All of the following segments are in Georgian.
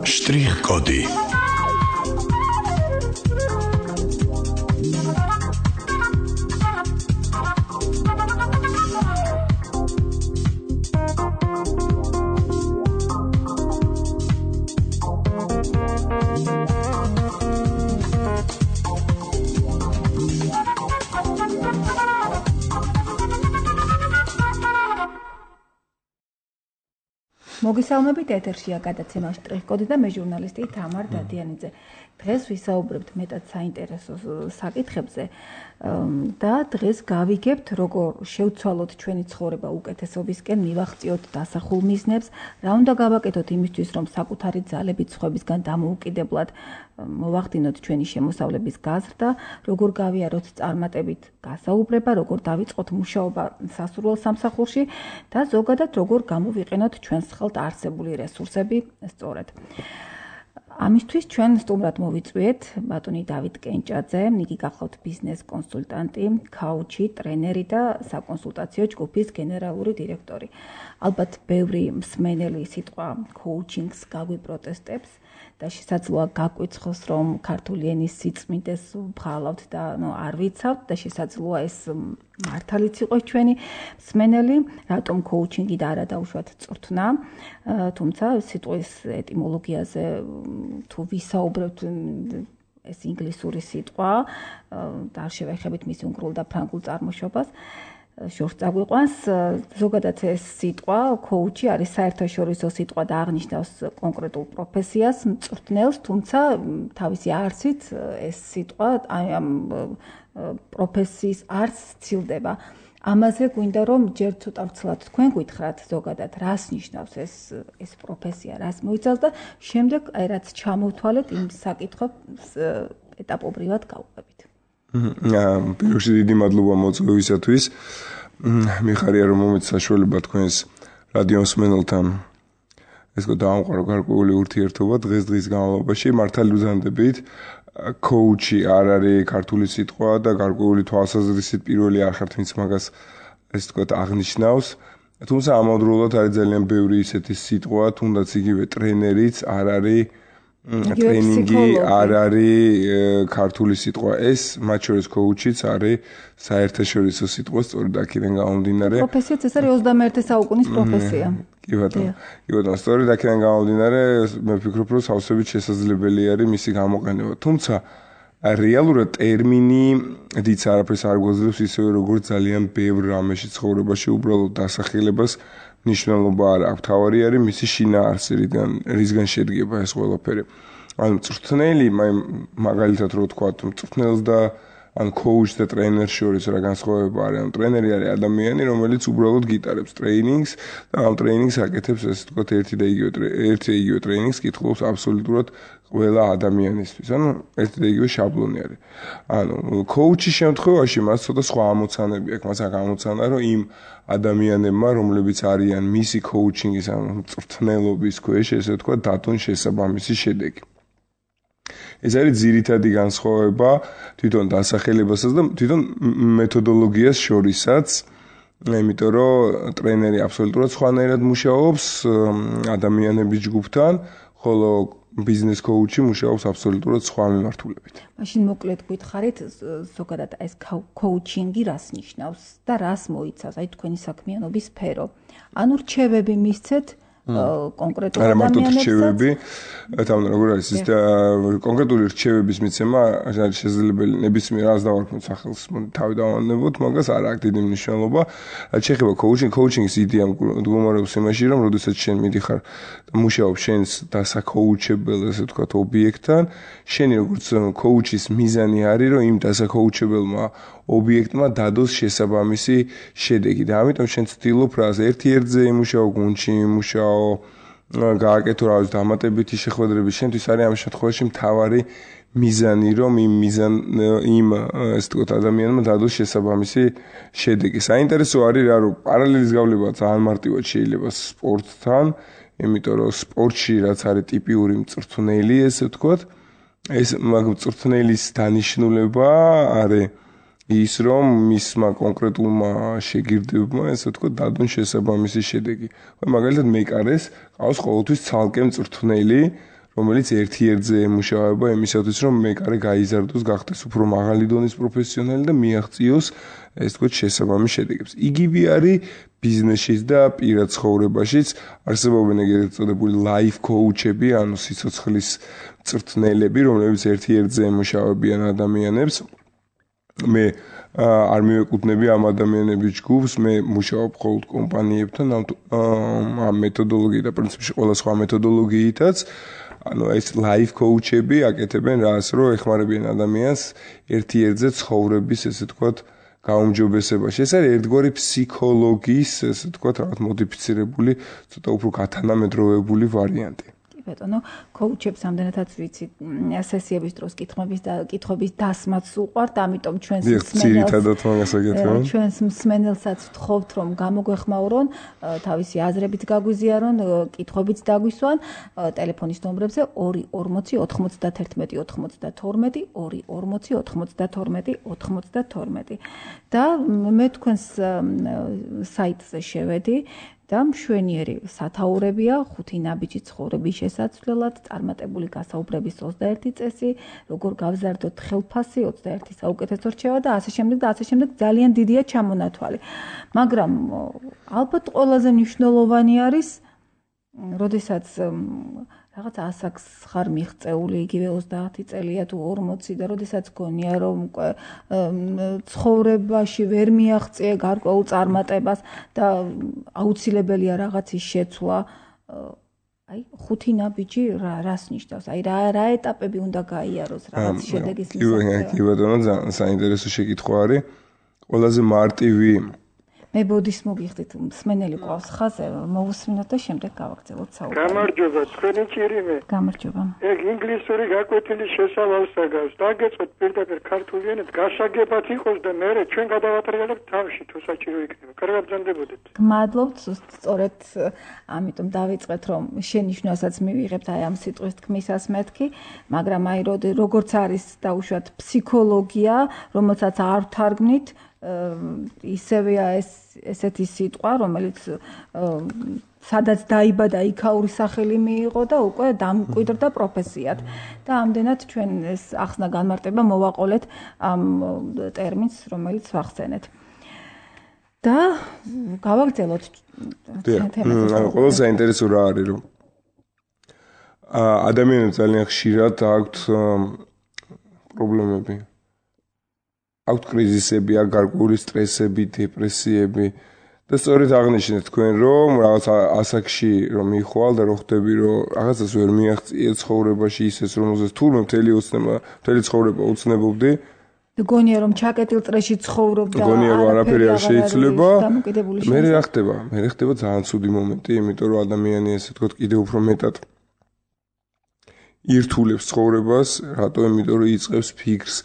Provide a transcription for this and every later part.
Շտրիխ-կոդի მოგესალმებით ეთერშია გადაცემა შტრიხ-კოდი და მე ჟურნალისტი თამარ დადიანიძე. დღეს ვისაუბრებთ მეტად საინტერესო საკითხებზე და დღეს გავიგებთ როგორ შევცვალოთ ჩვენი ცხოვრება უკეთესობისკენ, მივახციოთ დასახულ მიზნებს, რა უნდა გავაკეთოთ იმისთვის, რომ საკუთარი ძალებით სხვებისგან დამოუკიდებლად მოვახდინოთ ჩვენი შემოსავლების გაზრდა, როგორ გავიაროთ წარმატებით გასაუბრება, როგორ დავიწყოთ მუშაობა სასურველ სამსახურში და ზოგადად როგორ გამოვიყენოთ ჩვენს ხელთ არსებული რესურსები სწორედ. ამისთვის ჩვენ სტუმრად მოვიწვიეთ ბატონი დავით კენჭაძე, იგი გახლავთ ბიზნეს კონსულტანტი, ქაუჩი, ტრენერი და საკონსულტაციო ჯგუფის გენერალური დირექტორი. ალბათ ბევრი მსმენელი სიტყვა coaching-ს გაგვიპროტესტებს და შესაძლოა გაგვიცხოს, რომ ქართული ენის სიწმინდეს ვბღალავთ და არ ვიცავთ და შესაძლოა ეს მართალიც იყოს ჩვენი მსმენელი, რატომ coaching-ი და არა დაუშვათ წვრთნა, თუმცა სიტყვის ეტიმოლოგიაზე თუ ვისაუბრებთ ეს ინგლისური სიტყვა და არ შევეხებით მის უნგრულ და ფრანგულ წარმოშობას შორს წაგვიყვანს, ზოგადად ეს სიტყვა coach-ი არის საერთაშორისო სიტყვა და აღნიშნავს კონკრეტულ პროფესიას, მწვრთნელს, თუმცა თავისი არსით ეს სიტყვა ამ პროფესიის არსს სცილდება. ამაზე გვინდა რომ ჯერ ცოტა ვცლად თქვენ გითხრათ ზოგადად რას ნიშნავს ეს პროფესია, რას მოიცავს და შემდეგ რაც ჩამოვთვალეთ იმ საკითხებს ეტაპობრივად გავყვებით. პირველში დიდი მადლობა მოწვევისათვის. მიხარია რომ მომეც საშუალება თქვენს რადიო მსმენელთან ეს დაამყარო გარკვეული ურთიერთობა დღის განმავლობაში მართალი უზანდებით. coach-ი არ არის ქართული სიტყვა და გარკვეული თვალსაზრისით პირველი არ ხართ ვინც მაგას ეს თქვათ აღნიშნავს. თუმცა ამავდროულად არის ძალიან ბევრი ისეთი სიტყვა, თუნდაც იგივე ტრენერიც არ არის ტრენინგი არ არის ქართული სიტყვა. ეს მათ შორის coach-იც არის საერთაშორისო სიტყვა, სწორედ აქედან გამომდინარე. პროფესიაც ეს არის 21 საუკუნის პროფესია. კი ბატონო, სწორედ აქედან გამომდინარე, მე ვფიქრობ, რომ სავსებით შესაძლებელი არის მისი გამოყენება. თუმცა რეალურად ტერმინი დიც არაფერს არ გვაძლევს ისევე როგორც ძალიან ბევრ რამეში ცხოვრებაში უბრალოდ დასახელებას ნიშნულობა არ აქვს. თავარი არის მისი შინაარსი, რისგან შედგება ეს ყველაფერი. ანუ მწვრთნელი, მაგალითად რო ვთქვა, მწვრთნელს და ან coach და ტრენერს შორის რა განსხვავება არის? ანუ ტრენერი არის ადამიანი, რომელიც უბრალოდ გიტარებს ტრეინინგს და ამ ტრეინინგს აკეთებს ესე ვთქვათ ერთი და იგივე ტრეინინგს კითხულობს აბსოლუტურად ყველა ადამიანისთვის. ანუ ერთი და იგივე შაბლონი არის. ანუ coach-ის შემთხვევაში მას ცოტა სხვა ამოცანები აქვს. მას აქვს ამოცანა, რომ იმ ადამიანებმა, რომლებიც არიან მისი coaching-ის ან მწვრთნელობის ქვეშ, ესე ვთქვათ, დათუნ შესაბამისი შედეგი. ეს არის ძირითადი განსხვავება თვითონ დასახელებასაც და თვითონ მეთოდოლოგიას შორისაც, იმიტომ რომ ტრენერი აბსოლუტურად სხვანაირად მუშაობს ადამიანების ჯგუფთან, ხოლო ბიზნეს coach-ი მუშაობს აბსოლუტურად სხვა მიმართულებით. მაშინ მოკლედ გითხარით ზოგადად ეს coaching-ი რას ნიშნავს და რას მოიცავს, აი თქვენი საქმიანობის სფერო. ანუ რჩევები მისცეთ კონკრეტულ ადამიანებს. რჩევები, თავიდან როგორ არის ის კონკრეტული რჩევების მიცემა არის შესაძლებელი ნებისმიერ რას დავარქმევთ სახელს თავი დავანებოთ, მაგას არ აქვს დიდი მნიშვნელობა. შეიძლება coaching-ის იდეა მდგომარეობს იმაში, რომ როდესაც შენ მიდიხარ და მუშაობ შენს დასაკოუჩებელ, ესე ვთქვათ, ობიექტთან, შენი როგორც coach-ის მიზანი არის, რომ იმ დასაკოუჩებელმა ობიექტმა დადოს შესაბამისი შედეგი და ამიტომ შენ ცდილობ რას ერთ-ერთზე იმუშაო, გუნდში იმუშაო, გააკეთო რა ვიცი დამატებითი შეხვედრები, შენთვის არის ამ შემთხვევაში მთავარი მიზანი, რომ იმ ესე ვთქვათ ადამიანმა დადოს შესაბამისი შედეგი. საინტერესო არის რა, რომ პარალელის გავლება ძალიან მარტივად შეიძლება სპორტთან, იმიტომ რომ სპორტში რაც არის ტიპიური მწვრთნელი, ესე ვთქვათ, ეს მწვრთნელის დანიშნულება არის ის რომ მისმა კონკრეტულმა შეგირდებმა ესე ვთქვათ დადონ შესაბამისი შედეგი. მაგალითად მეკარეს ყავს ყოველთვის ცალკე მწვრთნელი, რომელიც ერთ-ერთზე ემუშავება იმისათვის რომ მეკარე გაიზარდოს, გახდეს უფრო მაღალი დონის პროფესიონალი და მიაღწიოს ესე ვთქვათ შესაბამის შედეგებს. იგივე არის ბიზნესშიც და პირად ცხოვრებაშიც არსებობენ ეგრეთ წოდებული life coach-ები, ანუ სიცოცხლის მწვრთნელები, რომლებიც ერთ-ერთზე ემუშავებიან ადამიანებს. მე არ მივეკუთვნები ამ ადამიანების ჯგუფს, მე მუშაობ მხოლოდ კომპანიებთან ამ მეთოდოლოგიით და პრინციპში ყველა სხვა მეთოდოლოგიითაც. ანუ ეს life coach-ები აკეთებენ რას, რომ ეხმარებიან ადამიანს ერთ-ერთზე ცხოვრების, ესე ვთქვათ, გაუმჯობესებაში. ეს არის ერთგვარი ფსიქოლოგიის, ესე ვთქვათ, რაღაც მოდიფიცირებული, ცოტა უფრო გათანამედროვებული ვარიანტი. ბატონო, კოუჩებს ამდენადაც ვიცი, სესიების დროს კითხვების დასმაც უყვართ, ამიტომ ჩვენს მსმენელსაც ვთხოვთ, რომ გამოგვეხმაურონ, თავისი აზრებით გაგვიზიარონ, კითხვებიც დაგვისვან, ტელეფონის ნომრებზე 240 91 92 240 92 92 და მე თქვენს საიტზე შევედი და მშვენიერი სათაურებია 5 ნაბიჯი ცხოვრების შესაცვლელად, წარმატებული გასაუბრების 21 წესი, როგორ გავზარდოთ ხელფასი 21 საუკეთესო რჩევა და ასე შემდეგ ძალიან დიდია ჩამონათვალი. მაგრამ ალბათ ყველაზე მნიშვნელოვანი არის, როდესაც რაღაც ასაკს ხარ მიღწეული, იგივე 30 წელია თუ 40 და როდესაც გონია რომ ცხოვრებაში ვერ მიაღწიე გარკვეულ წარმატებას და აუცილებელია რაღაცის შეცვლა, აი 5 ნაბიჯი რას ნიშნავს? აი რა ეტაპები უნდა გაიაროს რაღაც შედეგის მისაღწევად? კი ბატონო, ძალიან საინტერესო შეკითხვა არის. ყველაზე მარტივი მე ბოდის მოგიხდით, მსმენელი ყავს ხაზე, მოვუსმინოთ და შემდეგ გავაგრძელოთ საუბარი. გამარჯობა, თქვენი ჭირიმე. გამარჯობა. ეგ ინგლისური გაკვეთილი შესავალს აგავს. დაგეწოთ პირდაპირ ქართული ენით, გასაგებად იყოს და მე ჩვენ გადავატრიალებთ თავში, თუ საჭირო იქნება. კარგად ბრძანდებოდეთ. გმადლობთ, სწორედ ამიტომ დავიწყეთ, რომ შენიშვნასაც მივიღებთ აი ამ სიტყვის თქმისას მეთქი, მაგრამ აი როგორც არის დაუშვათ ფსიქოლოგია, რომელსაც არ ვთარგმნით, ისევეა ესეთი სიტყვა, რომელიც სადაც დაიბადა, იქაური სახელი მიიღო და უკვე დამკვიდრდა პროფესიად. და ამდენად ჩვენ ეს ახსნა განმარტება მოვაყოლეთ ამ ტერმინს, რომელიც ვახსენეთ. და გავაგრძელოთ თემას. ყველა საინტერესო რა არის, რომ ადამიანებს ძალიან ხშირად აქვთ პრობლემები. აქვთ კრიზისები, გარკვეული სტრესები, დეპრესიები და სწორედ აღნიშნეთ თქვენ, რომ რაღაც ასაკში რომ მიხვალ და რო ხვდები, რომ რაღაცას ვერ მიაღწიე ცხოვრებაში ისეს, რომელზეც თურმე მთელი ცხოვრება უცნებობდი. გონია რომ ჩაკეტილ წრეში ცხოვრობ და გონია რომ არაფერი არ შეიძლება. მე რა ხდება? მე ხდება ძალიან ცუდი მომენტი, იმიტომ რომ ადამიანი ესე ვთქვათ კიდევ უფრო მეტად ირთულებს ცხოვრებას, რატო? იმიტომ რომ იწყებს ფიქრს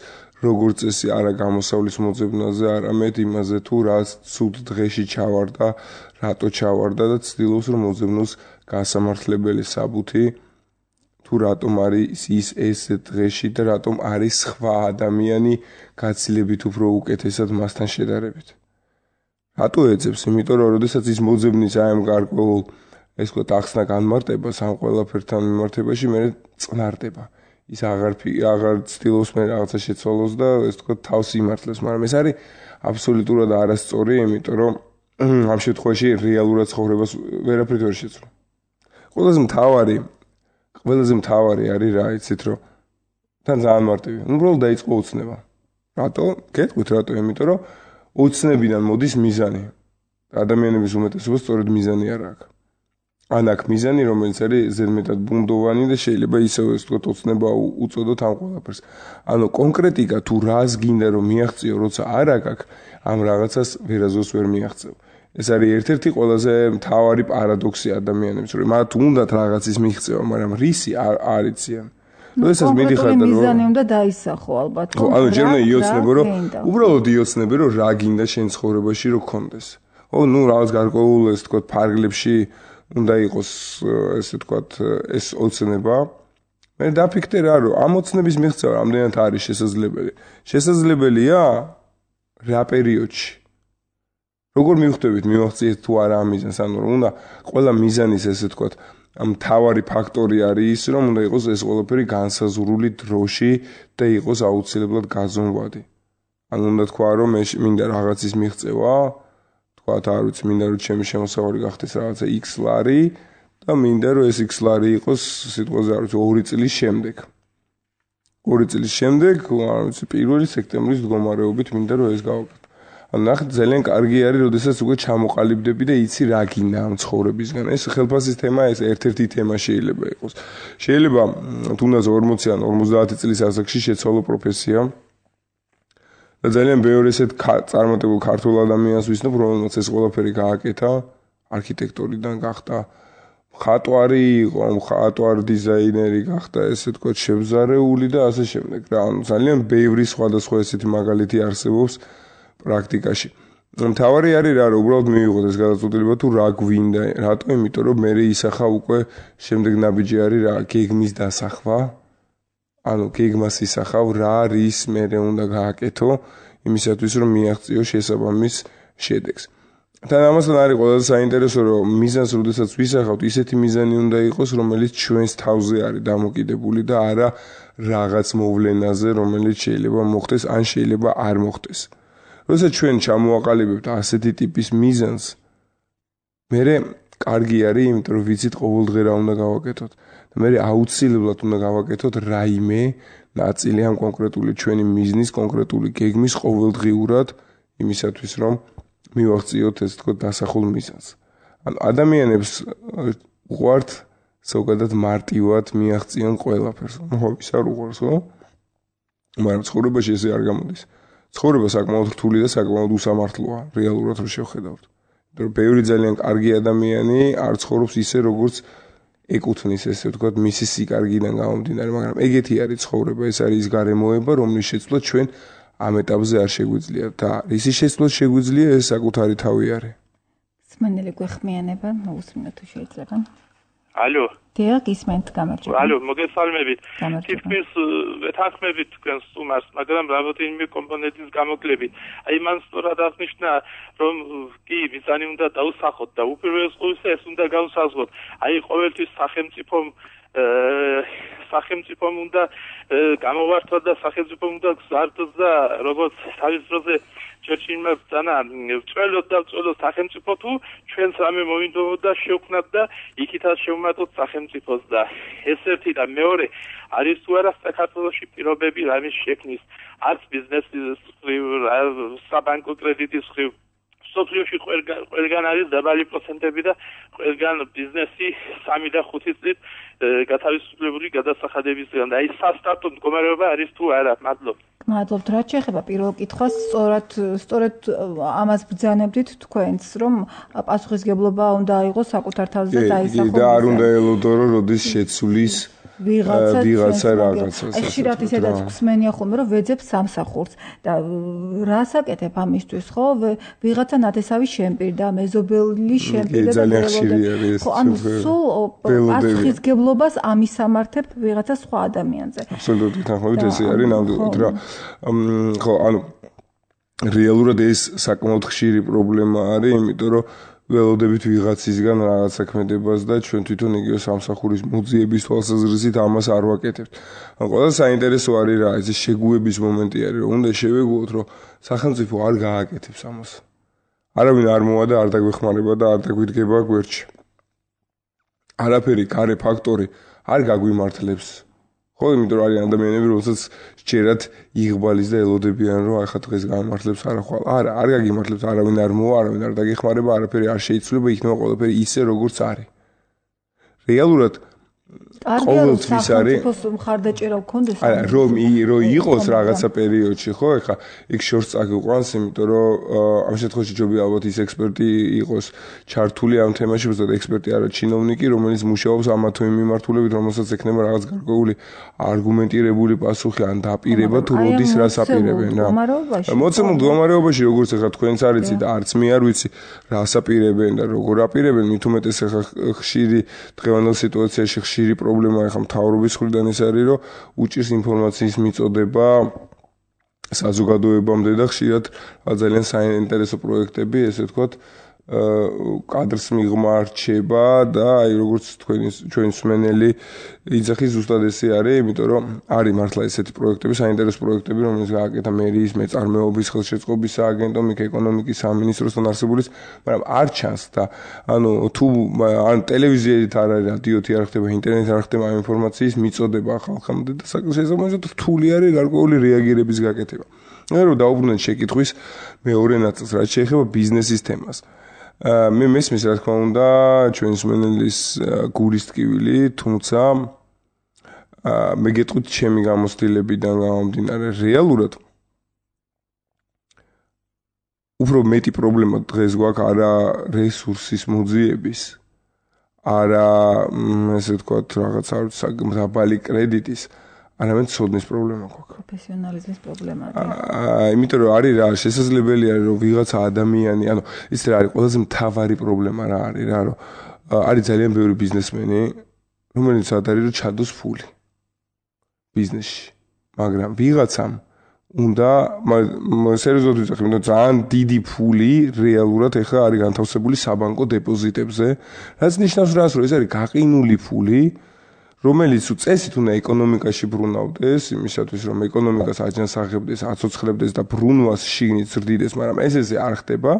როგორც წესი არა გამოსავლის მოძებნაზე, არამედ იმაზე თუ რაც ცუდ დღეში ჩავარდა, რატო ჩავარდა და ცდილობს რომ მოძებნოს გასამართლებელი საბუთი, თუ რატომ არის ეს დღეში და რატომ არის სხვა ადამიანი გაცილებით უფრო უკეთესად მასთან შედარებით. რატო ეძებს? იმიტომ რომ როდესაც ის მოძებნის აი ამ გარკვეულ ეს ვთქვათ ახსნა განმარტებას ამ ყველაფერთან მიმართებაში მე წნარდება. ის აღარ ცდილობს მე რაღაცა შეცვალოს და ეს თქო თავს იმართლებს, მაგრამ ეს არის აბსოლუტურად არასწორი, იმიტომ რომ ამ შემთხვევაში რეალურად ცხოვრებას ვერაფრით ვერ შეცვლა. ყველაზე მთავარი არის რა, იცით რომ თან ძალიან მარტივია. უბრალოდ დაიწყო უცნება. რატო? გეტყვით რატო? იმიტომ რომ უცნებიდან მოდის მიზანი. ადამიანების უმეტესობას სწორედ მიზანი არ აქვს. ან აქ მიზანი, რომელიც არის ზედმეტად ბუნდოვანი და შეიძლება ისევ ეს თქო ოცნება უწოდოთ ამ ყველაფერს. ანუ კონკრეტიკა თუ რას გინდა რომ მიაღწიო, როცა არ აქვს, ამ რაღაცას ვერაზოს ვერ მიაღწევ. ეს არის ერთ-ერთი ყველაზე მთავარი პარადოქსი ადამიანებს, რომ მათ უნდათ რაღაცის მიღწევა, მაგრამ რისი არ იციან. როდესაც მიდიხარ და მიზანი უნდა დაისახო ალბათ. ანუ ჯერმე იოცნებო, რომ უბრალოდ იოცნებე, რომ რა გინდა შენ ცხოვრებაში რომ გქონდეს. ნუ რაღაც გარკვეულ ეს თქო ფარგლებში უნდა იყოს ესე ვთქვათ ეს ოცნება. მე დაფიქრე რა რომ ამ ოცნების მიღწევა რამდენად არის შესაძლებელი. შესაძლებელია? რა პერიოდში როგორ მივხვდებით მივახციეთ თუ არა ამ მიზანს ანუ უნდა ყველა მიზანის ესე ვთქვათ მთავარი ფაქტორი არის ის რომ უნდა იყოს ეს ყველაფერი განსაზღვრული დროში და იყოს აუცილებლად გაზომვადი ანუ უნდა თქვა რომ მე მინდა რაღაცის მიღწევა თქვათ არ ვიცი მინდა რომ ჩემი შემოსავალი გახდეს რაღაცა X ლარი და მინდა რომ ეს X ლარი იყოს სიტყვაზე არ ვიცი 2 წლის შემდეგ 2 წლის შემდეგ არ ვიცი 1 სექტემბრის მდგომარეობით მინდა რომ ეს გავაკეთო ანუ ნახეთ ძალიან კარგი არის როდესაც უკვე ჩამოყალიბდები და იცი რა გინდა ამ ცხოვრებისგან ეს ხელფასის თემა ეს ერთ-ერთი თემა შეიძლება იყოს შეიძლება თუნდაც 40 ან 50 წლის ასაკში შეცვალო პროფესია და ძალიან ბევრი ესეთ წარმატებულ ქართულ ადამიანს ვიცნობ რომელსაც ეს ყველაფერი გააკეთა არქიტექტორიდან გახდა ხატვარი იყო ხატვარ დიზაინერი გახდა ესე თქვა შევზარეული და ასე შემდეგ რა ანუ ძალიან ბევრი სხვადასხვა ესეთი მაგალითი არსებობს პრაქტიკაში. მთავარი არის რა, უბრალოდ მივიღოთ ეს გადაწყვეტილება თუ რა გვინდა, რატო? იმიტომ რომ მე ისახა უკვე შემდეგ ნაბიჯი არის რა, გეგმის დასახვა. ანუ გეგმას ისახავ რა რის მე უნდა გააკეთო, იმისათვის რომ მიაღწიო შესაბამის შედეგს. თან ამასთან არის ყველაზე საინტერესო რომ მიზანს როდესაც ვისახავთ, ისეთი მიზანი უნდა იყოს, რომელიც ჩვენს თავზე არის დამოკიდებული და არა რაღაც მოვლენაზე, რომელიც შეიძლება მოხდეს ან შეიძლება არ მოხდეს. როცა ჩვენ ჩამოაყალიბებთ ასეთი ტიპის მიზანს, მე კარგი არის, იმიტომ რომ ვიცით ყოველდღე რა უნდა გავაკეთოთ. და მე აუცილებლად უნდა გავაკეთოთ რაიმე ნაწილი ამ კონკრეტული ჩვენი მიზნის, კონკრეტული გეგმის ყოველდღიურად იმისათვის, რომ მივაღწიოთ ეს თქო დასახულ მიზანს. ანუ ადამიანებს უყვართ ზოგადად მარტივად მიაღწიონ ყველაფერს. ხო, ის არ უყვარს, ხო? მაგრამ ცხოვრებაში ესე არ გამოდის. ცხოვრება საკმაოდ რთული და საკმაოდ უსამართლოა, რეალურად რო შევხედავთ. იმიტომ რომ ბევრი ძალიან კარგი ადამიანი არ ცხოვრობს ისე, როგორც ეკუთვნის, ესე ვთქვათ, მისი სიკარგიდან გამომდინარე, მაგრამ ეგეთი არის ცხოვრება, ეს არის ის გარემოება, რომლის შეცვლა ჩვენ ამ ეტაპზე არ შეგვიძლია და ისი შეცვლა შეგვიძლია, ეს საკუთარი თავი არის. სმენელი გვეხმიანება, მოусმინოთ თუ შეიძლება. ალო. დიახ, გისმენთ, გამარჯობა. ალო, მოგესალმებით. თითქმის ვეთანხმებით თქვენს სტუმარს, მაგრამ რამდენიმე კომპონენტის გამოკლებით. აი მან სწორად აღნიშნა, რომ კი, მიზანი უნდა დაუსახოთ და უპირველეს ყოვლისა ეს უნდა გავსაზღვროთ. აი ყოველთვის სახელმწიფომ უნდა გამოვართვა და სახელმწიფომ უნდა გზარდოს და როგორც თავის დროზე ჩერჩილმა ბრძანა წველოთ და წველოთ სახელმწიფო თუ ჩვენს რამე მოინდომოდა შევქმნათ და იქითაც შევმატოთ სახელმწიფოს და ეს ერთი და მეორე არის თუ არა საქართველოში პირობები რამის შექმნის არც ბიზნესის საბანკო კრედიტის ხრივ სოფლიოში ყველგან არის დაბალი პროცენტები და ყველგან ბიზნესი 3 და 5 წლით გათავისუფლებული გადასახადებისგან და აი სასტარტო მდგომარეობა არის თუ არა მადლობთ მადლობთ რაც შეეხება პირველ კითხვას სწორედ ამას ბრძანებდით თქვენს რომ პასუხისგებლობა უნდა აიღოს საკუთარ თავზე და დაისახოს და არ უნდა ელოდო რომ როდის შეცვლის ვიღაცა რაღაცას. ხშირად ისედაც გვსმენია ხოლმე რომ ვეძებ სამსახურს და რას აკეთებ ამისთვის ხო? ვიღაცა ნათესავი შემპირდა, მეზობელი შემპირდა და ძალიან ხშირი არის ეს. ხო, ანუ სულ პასუხისგებლობას ამისამართებ ვიღაცა სხვა ადამიანზე. აბსოლუტურად გითანხმებით ესე არის ნამდვილად რა. ხო, ანუ რეალურად ეს საკმაოდ ხშირი პრობლემა არის, იმიტომ რომ ველოდებით ვიღაცისგან რაღაც საქმედებას და ჩვენ თვითონ იგივე სამსახურის მოძიების თვალსაზრისით ამას არ ვაკეთებთ. ან ყველაზე საინტერესო არის რა, ეს შეგუების მომენტი არის, რომ უნდა შევეგუოთ, რომ სახელმწიფო არ გააკეთებს ამას. არავინ არ მოვა და არ დაგვეხმარება და არ დაგვიდგება გვერდში. არაფერი გარე ფაქტორი არ გაგვიმართლებს. ხო, იმიტომ რომ არის ადამიანები, რომელსაც სჯერათ იღბალის და ელოდებიან, რომ ახლა დღეს გამართლებს არახვალ. არ გაგიმართლებს, არავინ არ მოვა, არავინ არ დაგეხმარება, არაფერი არ შეიცვლება, იქნება ყველაფერი ისე, როგორც არის. რეალურად ყოველთვის არის მხარდაჭერა გქონდეს რომ იყოს რაღაცა პერიოდში ხო ეხა იქ შორს წაგიყვანს იმიტომ რომ ამ შემთხვევაში ჯობია ალბათ ის ექსპერტი იყოს ჩართული ამ თემაში უბრალოდ ექსპერტი არა ჩინოვნიკი რომელიც მუშაობს ამა თუ იმ მიმართულებით რომელსაც ექნება რაღაც გარკვეული არგუმენტირებული პასუხი ან დაპირება თუ როდის რას აპირებენ რა მოცემულ მდგომარეობაში როგორც ეხა თქვენც არიცი და არც მე არ ვიცი რას აპირებენ და როგორ აპირებენ მით უმეტეს ეხა ხშირი დღევანდელ სიტუაციაში ხშირი პრობლემა ახლა მთავრობის მხრიდან ის არის რომ უჭირს ინფორმაციის მიწოდება საზოგადოებამდე და ხშირად ძალიან საინტერესო პროექტები, ესე ვთქვათ, კადრს მიღმა რჩება და აი როგორც ჩვენი მსმენელი იძახის ზუსტად ესე არის, იმიტომ რომ არის მართლა ესეთი პროექტები, საინტერესო პროექტები, რომელიც გააკეთა მერიის მეწარმეობის ხელშეწყობის სააგენტო, ეკონომიკის სამინისტროსთან არსებულის, მაგრამ არ ჩანს და ანუ თუ ან ტელევიზიით არ არის, რადიოთი არ ხდება, ინტერნეტით არ ხდება ამ ინფორმაციის მიწოდება ხალხამდე და შესაბამისად რთული არის გარკვეული რეაგირების გაკეთება. რომ დაუბრუნდეთ შეკითხვის მეორე ნაწილს, რაც შეეხება ბიზნესის თემას. მე მესმის რა თქმა უნდა ჩვენი მსმენელის გულის ტკივილი, თუმცა მე გეტყვით ჩემი გამოცდილებიდან გამომდინარე რეალურად უფრო მეტი პრობლემა დღეს გვაქვს არა რესურსის მოძიების, არა ესე ვთქვათ რაღაც არ ვიცი დაბალი კრედიტის, არამედ ცოდნის პრობლემა გვაქვს. პროფესიონალიზმის პრობლემა. იმიტომ რომ არის რა შესაძლებელი არის რომ ვიღაცა ადამიანი, ანუ ის რა არის ყველაზე მთავარი პრობლემა რა არის რა რომ არის ძალიან ბევრი ბიზნესმენი, რომელიც არის რომ ჩადოს ფული ბიზნესში, მაგრამ ვიღაცამ უნდა სერიოზულად ვიძახი, იმიტომ რომ ძალიან დიდი ფული რეალურად ეხლა არის განთავსებული საბანკო დეპოზიტებზე, რაც ნიშნავს რას, რომ ეს არის გაყინული ფული, რომელიც წესით უნდა ეკონომიკაში ბრუნავდეს, იმისათვის რომ ეკონომიკას აჯანსაღებდეს, აცოცხლებდეს და ბრუნვას შიგნით ზრდიდეს, მაგრამ ესე არ ხდება.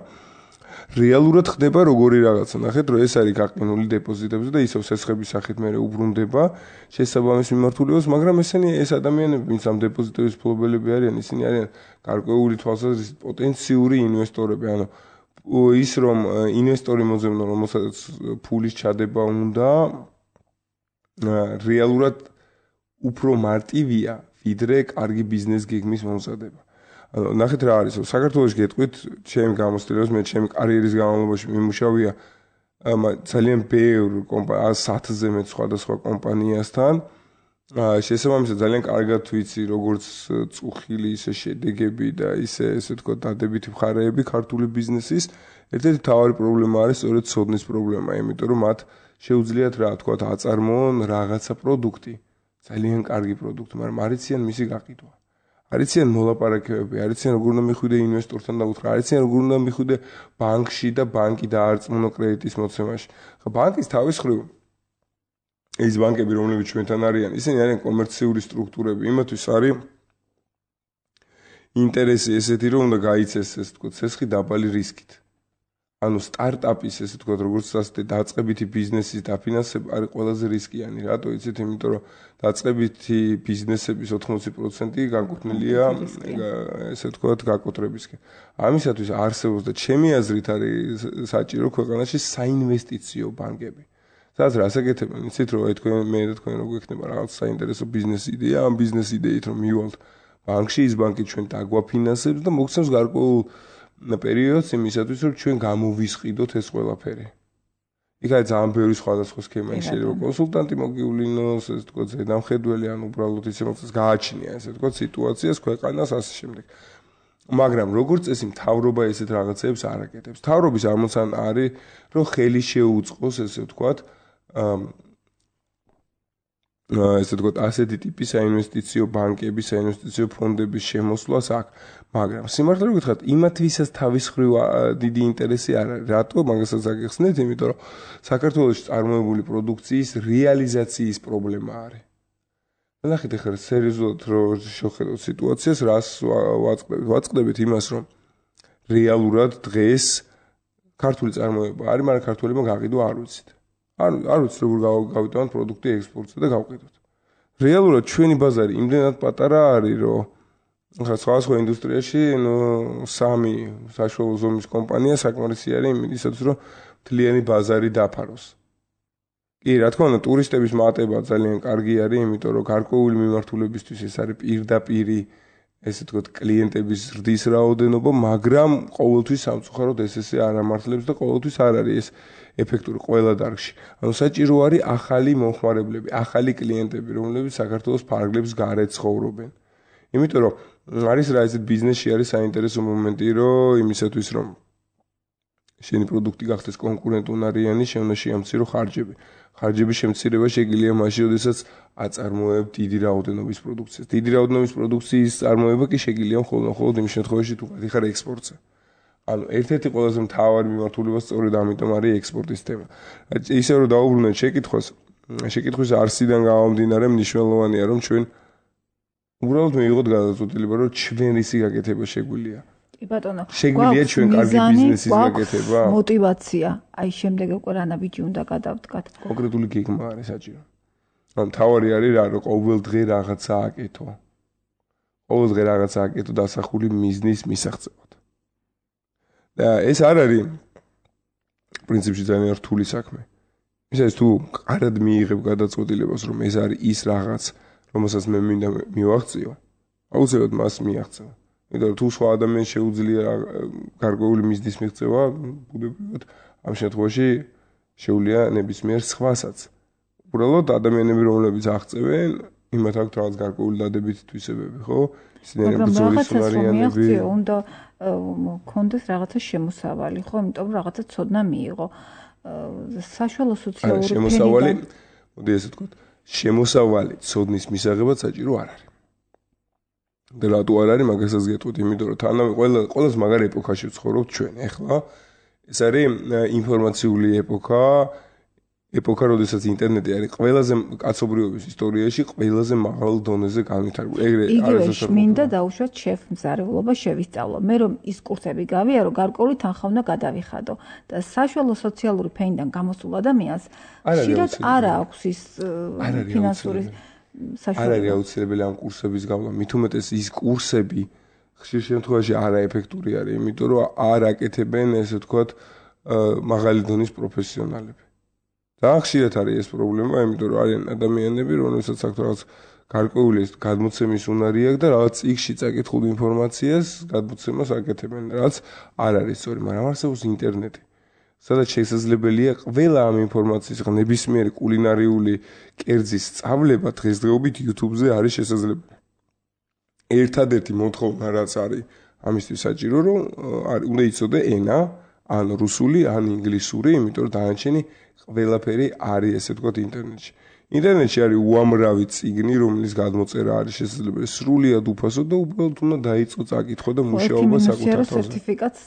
რეალურად ხდება როგორი რაღაცა. ნახეთ, რომ ეს არის გაყინული დეპოზიტებზე და ისევ სესხების სახით მე უბრუნდება შესაბამის მიმართულებას, მაგრამ ეს ადამიანები, ვინც ამ დეპოზიტების ფლობელები არიან, ისინი არიან გარკვეული თვალსაზრისით პოტენციური ინვესტორები, ანუ ის რომ ინვესტორი მოძებნო, რომელსაც ფულის ჩადება უნდა რეალურად უფრო მარტივია, ვიდრე კარგი ბიზნეს გეგმის მომზადება. ნახეთ რა არის, საქართველოში გეტყვით, ჩემი გამოცდილებას, მე ჩემი კარიერის განმავლობაში მიმუშავია ძალიან ბევრ კომპანიას, 1000-ზე მეტ სხვადასხვა კომპანიასთან. შესაბამისად ძალიან კარგად ვიცი, როგორც წუხილი, ისე შედეგები და ესე ვთქვათ, დადებითი მხარეები ქართული ბიზნესის. ერთ-ერთი მთავარი პრობლემა არის სწორედ ცოდნის პრობლემა, იმიტომ რომ მათ შეუძლიათ რა თქვათ, აწარმოონ რაღაცა პროდუქტი, ძალიან კარგი პროდუქტი, მაგრამ არ იციან მისი გაყიდვა. არ იციან მოლაპარაკებები, არ იციან როგორ უნდა მიხვიდე ინვესტორთან დაუთხრა, არ იციან როგორ უნდა მიხვიდე ბანკში და ბანკი დაარწმუნო კრედიტის მოცემაში. ხა ბანკის თავის მხრივ ეს ბანკები, რომლებიც ჩვენთან არიან, ისინი არიან კომერციული სტრუქტურები, იმათვის არის ინტერესი ესეთი, რომ უნდა გაიცეს, ესე ვთქვათ, სესხი დაბალი რისკით. ანუ სტარტაპის, ესე ვთქვათ, როგორც ასეთი დაწყებითი ბიზნესის დაფინანსება არის ყველაზე რისკიანი. რატო იცით? იმიტომ რომ დაწყებითი ბიზნესების 80% განკუთვნილია, ესე ვთქვათ, გაკოტრებისკენ. ამისათვის არსებობს და ჩემი აზრით არის საჭირო ქვეყანაში საინვესტიციო ბანკები. სადაც რას აკეთებენ? იცით რომ აი მე და თქვენ რო გვექნება რაღაც საინტერესო ბიზნეს იდეა, ამ ბიზნეს იდეით რომ მივალთ ბანკში, ის ბანკი ჩვენ დაგვაფინანსებს და მოგცემს გარკვეულ პერიოდს იმისათვის, რომ ჩვენ გამოვისყიდოთ ეს ყველაფერი. იქ არის ძალიან ბევრი სხვადასხვა სქემა, შეიძლება კონსულტანტი მოგივლინოს, ესე ვთქვათ, ზედამხედველი, ან უბრალოდ ისე მოხდეს გააჩნია, ესე ვთქვათ, სიტუაციას, ქვეყანას ასე შემდეგ. მაგრამ როგორც წესი მთავრობა ესეთ რაღაცებს არ აკეთებს. მთავრობის ამოცანა არის, რომ ხელი შეუწყოს, ესე ვთქვათ, ესე ვთქვათ, ასეთი ტიპის საინვესტიციო ბანკების, საინვესტიციო ფონდების შემოსვლას აქ. მაგრამ სიმართლე რომ გითხრათ, იმათვისაც თავის მხრივ დიდი ინტერესი არ არის. რატო? მაგასაც აგეხსნით, იმიტომ რომ საქართველოში წარმოებული პროდუქციის რეალიზაციის პრობლემა არის. ნახეთ ახლა სერიოზულად რომ შევხედოთ სიტუაციას, რას ვაწყდებით? ვაწყდებით იმას, რომ რეალურად დღეს ქართული წარმოება არის, მაგრამ ქართველებმა გაყიდვა არ ვიცით. არ ვიცით როგორ გავიტანოთ პროდუქტი ექსპორტზე და გავყიდოთ. რეალურად ჩვენი ბაზარი იმდენად პატარა არის, რომ ახლა სხვადასხვა ინდუსტრიაში სამი საშუალო ზომის კომპანია საკმარისი არის იმისათვის, რომ მთლიანი ბაზარი დაფაროს. კი, რა თქმა უნდა, ტურისტების მატება ძალიან კარგი არის, იმიტომ რომ გარკვეული მიმართულებისთვის ეს არის პირდაპირი, ესე ვთქვათ, კლიენტების ზრდის რაოდენობა, მაგრამ ყოველთვის სამწუხაროდ ესე არ ამართლებს და ყოველთვის არ არის ეს ეფექტური ყველა დარგში. ანუ საჭირო არის ახალი მომხმარებლები, ახალი კლიენტები, რომლებიც საქართველოს ფარგლებს გარეთ ცხოვრობენ. იმიტომ რომ არის რა ეს ბიზნესში არის საინტერესო მომენტი, რომ იმისათვის რომ შენი პროდუქტი გახდეს კონკურენტუნარიანი, შენ უნდა შეამცირო ხარჯები. ხარჯების შემცირება შეგიძლია მაშინ, როდესაც აწარმოებ დიდი რაოდენობის პროდუქციას. დიდი რაოდენობის პროდუქციის წარმოება კი შეგიძლია მხოლოდ იმ შემთხვევაში, თუ ხარ ექსპორტზე. ანუ ერთ-ერთი ყველაზე მთავარი მიმართულება სწორედ ამიტომ არის ექსპორტის თემა. ისე რომ დაუბრუნდეთ შეკითხვის არსიდან გამომდინარე მნიშვნელოვანია რომ ჩვენ უბრალოდ მივიღოთ გადაწყვეტილება რომ ჩვენ რისი გაკეთება შეგვიძლია. კი ბატონო. შეგვიძლია ჩვენ კარგი ბიზნესის გაკეთება? მოტივაცია. აი შემდეგ უკვე რანაბიჯი უნდა გადავდგათ. კონკრეტული გეგმა არის საჭირო. ანუ თავარი არის რა რომ ყოველ დღე რაღაცა აკეთო. ყოველ დღე რაღაცა აკეთო დასახული მიზნის მისაღწევად. და ეს არ არის პრინციპში ძალიან რთული საქმე. ისე თუ კარად მიიღებ გადაწყვეტილებას რომ ეს არის ის რაღაც რომელსაც მე მინდა მივაღწიო, აუცილებლად მას მიაღწევ. იმიტომ რომ თუ სხვა ადამიანს შეუძლია გარკვეული მიზნის მიღწევა, ბუნებრივად ამ შემთხვევაში შეუძლია ნებისმიერ სხვასაც. უბრალოდ ადამიანები რომლებიც აღწევენ, იმათ აქვს რაღაც გარკვეული დადებითი თვისებები, ხო? ისინი ბრძოლის უნარიანები. უნდა კონდეს რაღაცა შემოსავალი, ხო? იმიტომ რომ რაღაცა ცოდნა მიიღო. საშუალო სოციალური შემოსავალი, მოდი ესე ვთქვათ, შემოსავალი ცოდნის მისაღებად საჭირო არ არის. და რატო არ არის მაგასაც გეტყვით, იმიტომ რომ თანამე ყველას მაგარი ეპოქაში ვცხოვრობთ ჩვენ. ეხლა ეს არის ინფორმაციული ეპოქა, როდესაც ინტერნეტი არის ყველაზე კაცობრიობის ისტორიაში ყველაზე მაღალ დონეზე განვითარებული. ეგრე არის მინდა დაუშვათ შეფმზარებლობა შევისწავლო. მე რომ ის კურსები გავიარო, გარკვეული თანხა უნდა გადავიხადო და საშუალო სოციალური ფენიდან გამოსულ ადამიანს ხშირად არ აქვს ის ფინანსური არ არის აუცილებელი ამ კურსების გავლა. მით უმეტეს ის კურსები ხშირ შემთხვევაში არაეფექტური არის, იმიტომ რომ არ აკეთებენ ესე ვთქვათ მაღალი დონის პროფესიონალები. და ხშირად არის ეს პრობლემა, იმიტომ რომ არიან ადამიანები, რომელსაც აქვს რაღაც გარკვეული გადმოცემის უნარი აქვს და რაღაც წიგნში წაკითხულ ინფორმაციას გადმოცემას აკეთებენ, რაც არ არის სწორი, მაგრამ არსებობს ინტერნეტი. სადაც შესაძლებელია ყველა ამ ინფორმაციის ნებისმიერი კულინარიული კერძის სწავლება დღესდღეობით YouTube-ზე არის შესაძლებელი. ერთადერთი მოთხოვნა რაც არის ამისთვის საჭირო, რომ უნდა იცოდე ენა, ან რუსული, ან ინგლისური, იმიტომ რომ დანარჩენი ყველაფერი არის ესე ვთქვათ ინტერნეტში. ინტერნეტში არის უამრავი წიგნი, რომლის გადმოწერა არის შესაძლებელი სრულიად უფასო და უბრალოდ უნდა დაიწყო წაკითხვა და მუშაობა საკუთარ თავზე. სერტიფიკატს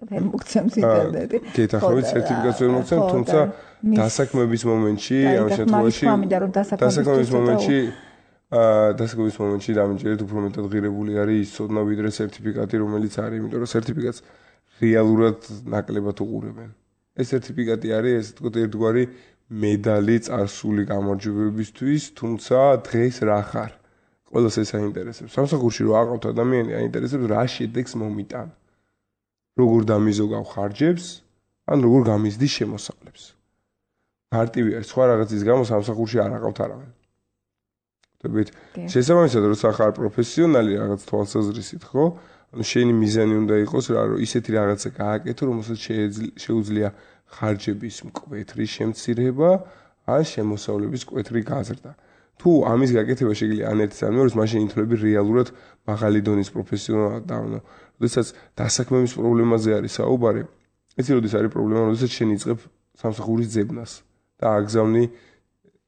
ვერ მოგცემს ინტერნეტი. გეთახმებით სერტიფიკატს ვერ მოგცემ, თუმცა დასაქმების მომენტში, ამ შემთხვევაში დასაქმების მომენტში დამიჯერეთ უფრო მეტად ღირებული არის ის ცოდნა ვიდრე სერტიფიკატი, რომელიც არის, იმიტომ რომ სერტიფიკატს რეალურად ნაკლებად უყურებენ. ეს სერტიფიკატი არის, ესე ვთქვათ, ერთგვარი მედალი წარსული გამარჯვებებისთვის, თუმცა დღეს რა ხარ? ყველას ეს აინტერესებს. სამსახურში რო აყავთ ადამიანი, აინტერესებს რა შედეგს მომიტან. როგორ დამიზოგავ ხარჯებს, ან როგორ გამიზდი შემოსავლებს. მარტივი არის, სხვა რაღაცის გამო სამსახურში არ აყავთ არავინ. ხდებით? შესაბამისად, როცა ხარ პროფესიონალი რაღაც თვალსაზრისით, ხო? ანუ შენი მიზანი უნდა იყოს რა, რომ ისეთი რაღაცა გააკეთო, რომელსაც შეუძლია ხარჯების მკვეთრი შემცირება, ან შემოსავლების მკვეთრი გაზრდა. თუ ამის გაკეთება შეგიძლია ან ერთის ან მეორეს, მაშინ ითვლები რეალურად მაღალი დონის პროფესიონალად და ანუ როდესაც დასაქმების პრობლემაზე არის საუბარი, იცი როდის არის პრობლემა, როდესაც შენ იწყებ სამსახურის ძებნას და აგზავნი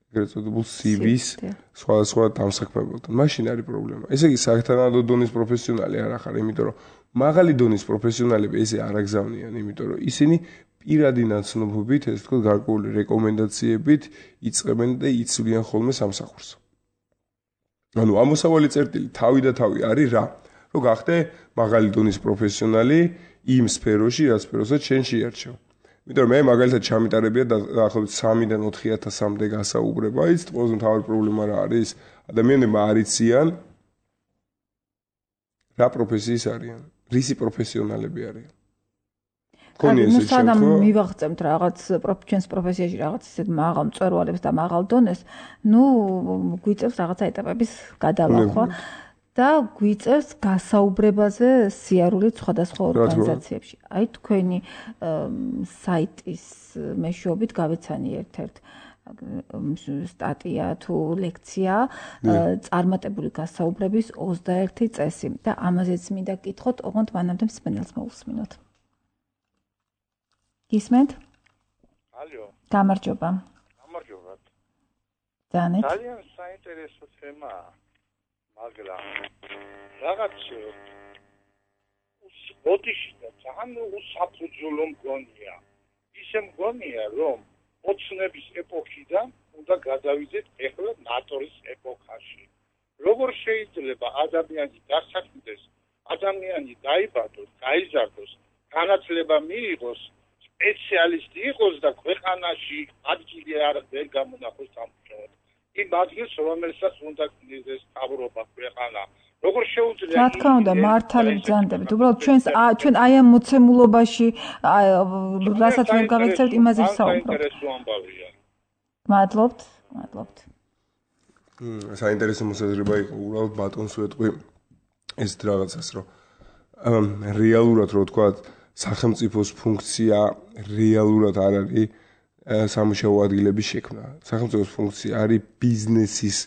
ეგრეთ წოდებულ CV-ს სხვადასხვა დამსაქმებელთან. მაშინ არის პრობლემა. ესე იგი სათანადო დონის პროფესიონალი არ ახარ, იმიტომ რომ მაღალი დონის პროფესიონალები ესე არ აგზავნიან, იმიტომ რომ ისინი პირადი ნაცნობობით, ესე ვთქვათ, გარკვეული რეკომენდაციებით იწყებენ და იცვლიან ხოლმე სამსახურს. ანუ ამოსავალი წერტილი თავი და თავი არის რა? რომ გახდე მაღალი დონის პროფესიონალი იმ სფეროში, რაც სფეროსაც შენ შეარჩევ. იმიტომ რომ მე მაგალითად ჩამიტარებია დაახლოებით 3-დან 4,000-მდე გასაუბრება, ის ყველაზე მთავარი პრობლემა რა არის? ადამიანებმა არ იციან რა პროფესიის არიან, რისი პროფესიონალები არიან. ანუ სანამ მივაღწევთ რაღაც ჩვენს პროფესიაში რაღაც ისეთ მაღალ მწვერვალებს და მაღალ დონეს, გვიწევს რაღაცა ეტაპების გადალახვა და გვიწევს გასაუბრებაზე სიარულით სხვადასხვა ორგანიზაციებში. აი თქვენი საიტის მეშვეობით გავეცანი ერთ-ერთ სტატია თუ ლექცია წარმატებული გასაუბრების 21 წესი და ამაზეც მინდა გკითხოთ, ოღონდ მანამდე მსმენელს მოусმინოთ. გისმენთ? ალო. გამარჯობა. გამარჯობა. ძალიან საინტერესო თემაა, მაგრამ რაღაც ოდიში და ძალიან უსაფუძვლო მგონია. ისე მგონია, რომ ოცნების ეპოქიდან უნდა გადავიდეთ ახლა ნატორის ეპოქაში. როგორ შეიძლება ადამიანი დასაქმდეს, ადამიანი დაიბადოს, გაიზარდოს, განათლება მიიღოს, სპეციალისტი იყოს და ქვეყანაში ადგილი ვერ გამონახოს სამუშაოდ. იმ ადგილს, რომელსაც უნდა გნიზდეს მთავრობა ქვეყანა. როგორ შეუძლია? რა თქმა უნდა, მართალი ბრძანდებით. უბრალოდ ჩვენ აი ამ მოცემულობაში, რასაც ვერ გავეცევთ, იმაზე ვსაუბრობთ. საინტერესო ამბავია. მადლობთ. საინტერესო მოსაზრება იყო უბრალოდ ბატონს ვეტყვი ეს რაღაცას, რომ რეალურად რო ვთქვა, სახელმწიფოს ფუნქცია რეალურად არ არის სამუშაო ადგილების შექმნა. სახელმწიფოს ფუნქცია არის ბიზნესის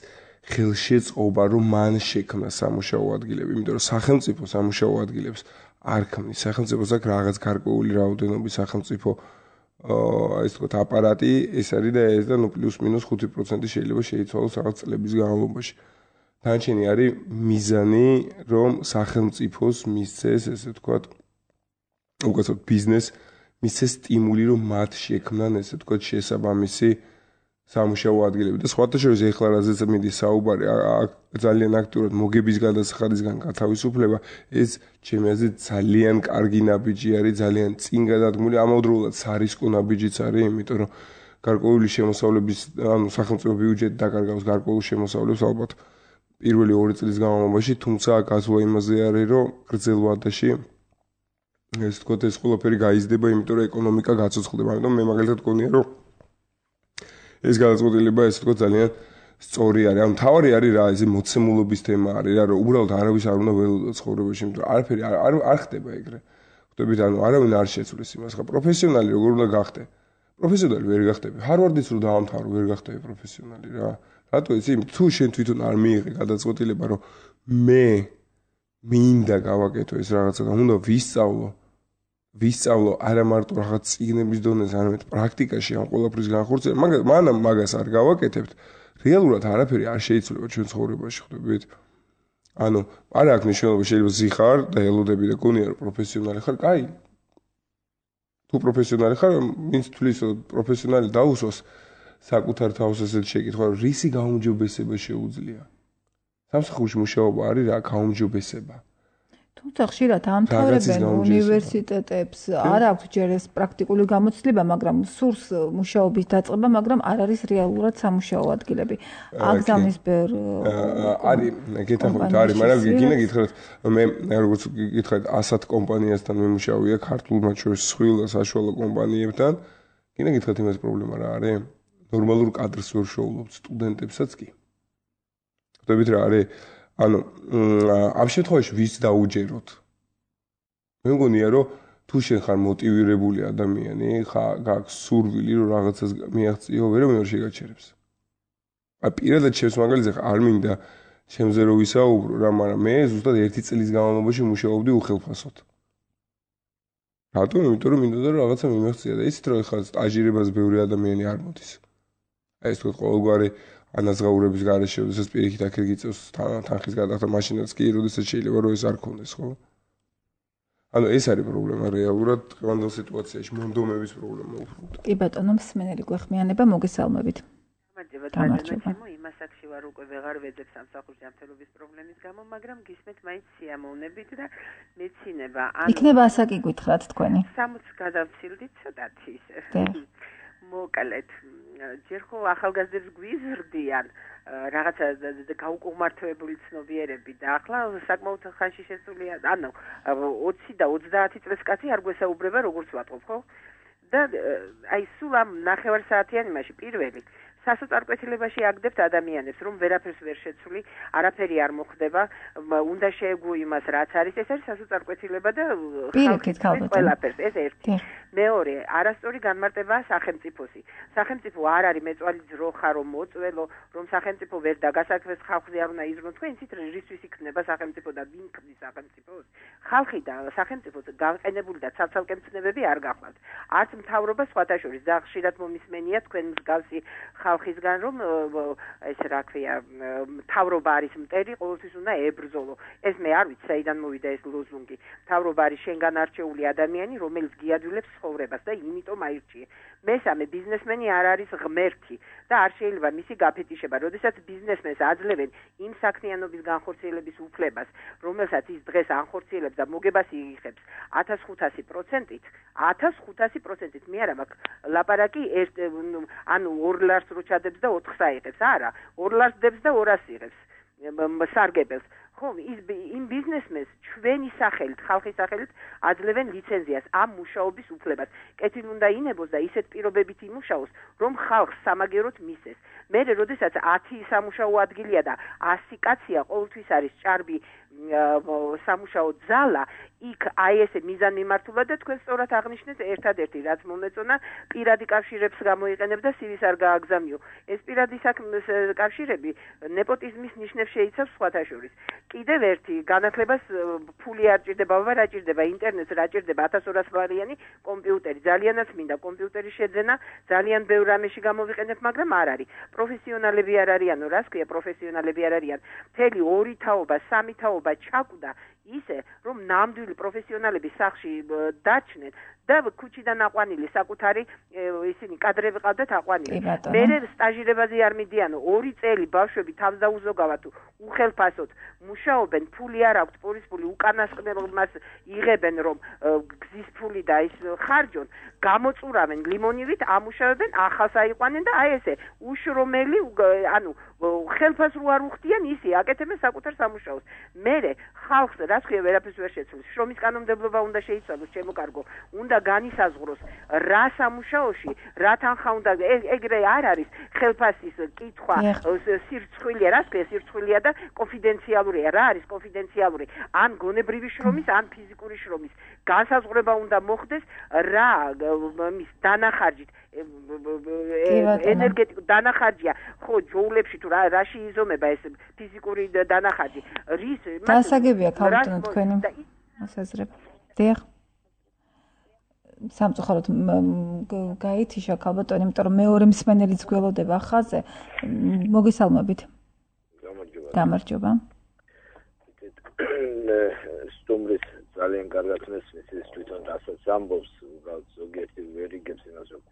ხელშეწყობა, რომ მან შექმნა სამუშაო ადგილები, იმიტომ რომ სახელმწიფო სამუშაო ადგილებს არ ქმნის. სახელმწიფოს აქვს რაღაც გარკვეული რაოდენობის სახელმწიფო ეს თქვა აპარატი, ეს არის და ეს და პლუს მინუს 5% შეიძლება შეიცვალოს რაღაც წლების განმავლობაში. დანარჩენი არის მიზანი, რომ სახელმწიფოს მისცეს, ესე თქვა, უკაცრავ ბიზნეს მისცეს სტიმული, რომ მათ შექმნან, ესე თქვა, შესაბამისი სამუშაო ადგილები და სხვათა შორის ეხლა რაზეც მიდის საუბარი, ძალიან აქტიურად მოგების გადასახადისგან გათავისუფლება, ეს ჩემი აზრით ძალიან კარგი ნაბიჯი არის, ძალიან წინ გადადგმული, ამავდროულად სარისკო ნაბიჯიც არის, იმიტომ რომ გარკვეული შემოსავლების, ანუ სახელმწიფო ბიუჯეტი დაკარგავს გარკვეულ შემოსავლებს ალბათ პირველი 2 წლის განმავლობაში, თუმცა გაზღვა იმაზე არის, რომ გრძელ ვადაში ეს თქო ეს ყველაფერი გაიზრდება, იმიტომ რომ ეკონომიკა გაცოცხლდება. ამიტომ მე მაგალითად გქონია, რომ ეს გადაწყვეტილება ეს თქო ძალიან სწორი არის. ანუ თავი არის რა, ეს მოცემულობის თემა არის რა, რომ უბრალოდ არავის არ უნდა ველოდოს ცხოვრებაში, იმიტომ რომ არაფერი არ ხდება ეგრე. ხვდებით, ანუ არავინ არ შეცვლის იმას. ხა პროფესიონალი როგორ უნდა გახდე? პროფესიონალი ვერ გახდები. ჰარვარდის რო დაამთავრო, ვერ გახდები პროფესიონალი რა. რატო იცი? თუ შენ თვითონ არ მიიღე გადაწყვეტილება, რომ მე მინდა გავაკეთო ეს რაღაცა და უნდა ვისწავლო არა მარტო რაღაც წიგნების დონეზე, არამედ პრაქტიკაში ამ ყველაფრის განხორციელება, მაგრამ მაგას არ გავაკეთებთ, რეალურად არაფერი არ შეიცვლება ჩვენ ცხოვრებაში, ხვდებით? ანუ არ აქვს მნიშვნელობა, შეიძლება ზიხარ და ელოდები და გონია რომ პროფესიონალი ხარ, კაი. თუ პროფესიონალი ხარ, ვინც თulis პროფესიონალი დაუსვას საკუთარ თავს ესეთ შეკითხვა, რომ რისი გაუმჯობესება შეუძლია. სამსახურში მუშაობა არის რა გაუმჯობესება. თუმცა ხშირად ამთავრებენ უნივერსიტეტებს, არ აქვს ჯერ ეს პრაქტიკული გამოცდილება, მაგრამ სურს მუშაობის დაწყება, მაგრამ არ არის რეალურად სამუშაო ადგილები. აგზავნის ბევრ არის, გეთახმებით არის, მაგრამ გინდა გითხრათ, მე როგორც გითხრათ 100 კომპანიასთან მიმუშავია ქართულ მათ შორის სხვილ და საშუალო კომპანიებთან. გინდა გითხრათ იმას პრობლემა რა არის? ნორმალურ კადრს ვერ შოულობთ, სტუდენტებსაც კი. ხვდებით რა არის? ანუ ამ შემთხვევაში ვის დაუჯეროთ? მე მგონია რომ თუ შენ ხარ მოტივირებული ადამიანი, გაქვს სურვილი რომ რაღაცას მიაღწიო, ვერა შეგაჩერებს. აი პირადად ჩემს მაგალითზე არ მინდა ჩემზე რო ვისაუბრო რა, მაგრამ მე ზუსტად 1 წლის განმავლობაში მუშაობდი უხელფასოდ. რატომ? იმიტომ რომ მინდოდა რომ რაღაცა მიმეღწია და იცით რომ ეხლა სტაჟირებას ბევრი ადამიანი არ მოდის. აი ეს თქო ყოველგვარი ანაზღაურების გარეშე, როდესაც პირიქით აქ გიწევს თანხის გადახდა მაშინაც კი, როდესაც შეიძლება რომ ეს არ ქონდეს, ხო? ანუ ეს არის პრობლემა რეალურად დღევანდელ სიტუაციაში, მონდომების პრობლემა უფრო. კი ბატონო, მსმენელი გვეხმიანება, მოგესალმებით. გამარჯობა. იმას აქში ვარ უკვე ვეღარ ვეძებ სამსახურში ამთელობის პრობლემის გამო, მაგრამ გისმენთ მაინც სიამოვნებით და მეცინება. იქნება ასაკი გითხრათ თქვენი. 60 გადავცილდით ცოტათი ისე. მოკლედ ჯერ ხო ახალგაზრდებს გვიზრდიან რაღაცა გაუკმართოებული ცნობიერები და ახლა საკმაოდ ხანში შესულია, ანუ 20 და 30 წლის კაცი არ გვესაუბრება როგორც ვატყობ, ხო? და აი სულ ამ ნახევარ საათიან იმაში პირველი სასოწარკვეთილებაში აგდებთ ადამიანებს, რომ ვერაფერს ვერ შეცვლი, არაფერი არ მოხდება, უნდა შეეგუო იმას, რაც არის, ეს არის სასოწარკვეთილება და ყველაფერს, ეს ერთი. მეორე, არასწორი განმარტებაა სახელმწიფოსი. სახელმწიფო არ არის მეწვალი ძროხა, რომ მოწველო, რომ სახელმწიფო ვერ დაგასაქმეს, ხალხზე არ უნდა იზრუნოს. თქვენ იცით რისთვის იქნება სახელმწიფო და ვინ ქმნის სახელმწიფოს? ხალხი და სახელმწიფო განყენებული და ცალ-ცალკე მცნებები არ გახლავთ. არც მთავრობა სხვათა შორის და ხშირად მომისმენია თქვენ მსგავსი ხალხისგან, რომ ეს რა ქვია, მთავრობა არის მტერი, ყოველთვის უნდა ებრძოლო. ეს მე არ ვიცი, საიდან მოვიდა ეს ლოზუნგი. მთავრობა არის შენგან არჩეული ადამიანი, რომელიც გიადვილებს ცხოვრებას და იმიტომ აირჩიე. მესამე, ბიზნესმენი არ არის ღმერთი და არ შეიძლება მისი გაფეთიშება. როდესაც ბიზნესმენს აძლევენ იმ საქმიანობის განხორციელების უფლებას, რომელსაც ის დღეს ანხორციელებს და მოგებას იღებს 1500%-ით, 1500%-ით მე არა მაქვს ლაპარაკი ანუ 2 ლარს რო ჩადებს და 4-ს აიღებს. არა, 2 ლარს დებს და 200-ს იღებს სარგებელს. ხო, იმ ბიზნესმენს ჩვენი სახელით, ხალხის სახელით აძლევენ ლიცენზიას ამ მუშაობის უფლებას. კეთილი უნდა ინებოს და ისეთ პირობებით იმუშაოს, რომ ხალხს სამაგეროდ მისცეს. მე როდესაც 10 სამუშაო ადგილია და 100 კაცია, ყოველთვის არის ჭარბი სამუშაო ძალა, იქ აი ესე მიზანმიმართულად და თქვენ სწორად აღნიშნეთ ერთადერთი რაც მომეწონა პირადი კავშირებს გამოიყენებ და სივის არ გააგზავნიო. ეს პირადი კავშირები ნეპოტიზმის ნიშნებს შეიცავს სხვათა შორის. კიდევ ერთი განათლებას ფული არ ჭირდება, ვარ არ ჭირდება, ინტერნეტს რა ჭირდება 1200 ლარიანი კომპიუტერი. ძალიანაც მინდა კომპიუტერის შეძენა, ძალიან ბევრ რამეში გამოვიყენებ, მაგრამ არ არის. პროფესიონალები არ არიანო, რას ქვია პროფესიონალები არ არიან. მთელი 2 თაობა, 3 თაობა ჩაკვდა ისე, რომ ნამდვილი პროფესიონალები სახში დაჩნენ და ქუჩიდან აყვანილი საკუთარი ისინი კადრები ყავდათ აყვანილი. მე სტაჟირებაზე არ მიდიანო, 2 წელი ბავშვები თავს დაუზოგავად უხელფასოდ მუშაობენ, ფული არ აქვთ, პურის ფული უკანასკნელობას იღებენ, რომ გზის ფული და ის ხარჯონ, გამოწურავენ ლიმონივით, ამუშავებენ, ახალს აიყვანენ და აი ესე უშრომელი, ანუ ხელფას რო არ უხდიან, ისი აკეთებენ საკუთარ სამუშაოს. მე ხალხს რას ქვია ვერაფერს ვერ შეცვლის. შრომის კანონმდებლობა უნდა შეიცვალოს, ჩემო კარგო. უნდა განისაზღვროს რა სამუშაოში, რა თანხა უნდა, ეგრე არ არის ხელფასის კითხვა, სირცხვილია, რას ქვია სირცხვილია და კონფიდენციალურია. რა არის კონფიდენციალური? ან გონებრივი შრომის, ან ფიზიკური შრომის განსაზღვრება უნდა მოხდეს რა მის დანახარჯით ენერგეტიკულ დანახარჯია. ხო, ჯოულებში თუ რაში იზომება ეს ფიზიკური დანახარჯი? რის დასაგებია ქალბატონო თქვენი მოსაზრება. დიახ. სამწუხაროდ გაითიშა ქალბატონი, იმიტომ რომ მეორე მსმენელიც გველოდება ხაზზე. მოგესალმებით. გამარჯობა. სტუმრის ძალიან კარგად მესმის ის თვითონ რასაც ამბობს, ზოგიერთი ვერ იგებს იმას, რომ